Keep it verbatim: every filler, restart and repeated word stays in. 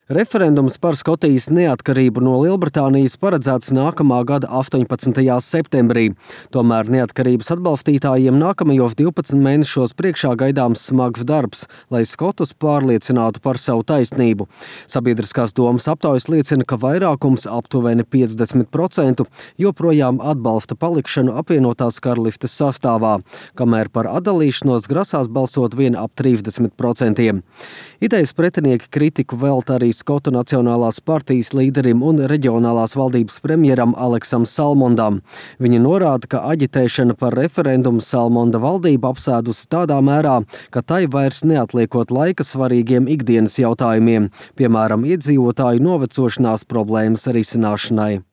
Referendums par Skotijas neatkarību no Lielbritānijas paredzēts nākamā gada astoņpadsmitajā septembrī. Tomēr neatkarības atbalstītājiem nākamajos divpadsmit mēnešos priekšā gaidāms smags darbs, lai skotus pārliecinātu par savu taisnību. Sabiedriskās domas aptaujas liecina, ka vairākums aptuveni piecdesmit procenti joprojām atbalsta palikšanu apvienotās karalistes sastāvā, kamēr par atdalīšanos grasās balsot vien ap trīsdesmit procentiem. Idejas pretinieki kritiku velta arī Skotu Nacionālās partijas līderim un reģionālās valdības premjeram Aleksam Salmondam. Viņi norāda, ka aģitēšana par referendumu Salmonda valdība apsēdusi tādā mērā, ka tai vairs neatliekot laika svarīgiem ikdienas jautājumiem, piemēram, iedzīvotāju novecošanās problēmas risināšanai.